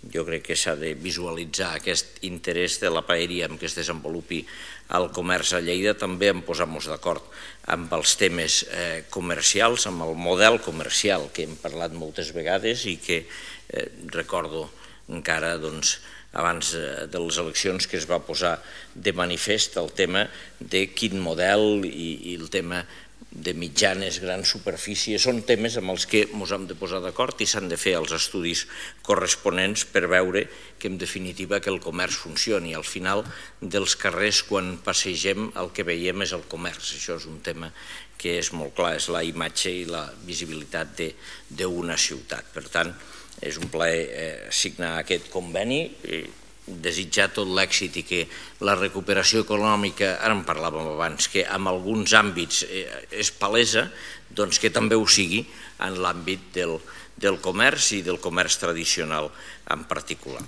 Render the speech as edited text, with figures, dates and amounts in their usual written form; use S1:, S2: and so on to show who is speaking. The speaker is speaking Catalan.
S1: Jo crec que s'ha de visualitzar aquest interès de la paeria en què es desenvolupi el comerç a Lleida, també en posar-nos d'acord amb els temes comercials, amb el model comercial que hem parlat moltes vegades i que recordo encara abans de les eleccions que es va posar de manifest el tema de quin model i el tema de mitjanes, grans superfícies, són temes amb els que ens hem de posar d'acord i s'han de fer els estudis corresponents per veure que en definitiva que el comerç funcioni. Al final dels carrers quan passegem el que veiem és el comerç, això és un tema que és molt clar, és la imatge i la visibilitat d'una ciutat. Per tant, és un plaer signar aquest conveni, desitjar tot l'èxit i que la recuperació econòmica, ara en parlàvem abans, que en alguns àmbits és palesa, doncs que també ho sigui en l'àmbit del comerç i del comerç tradicional en particular.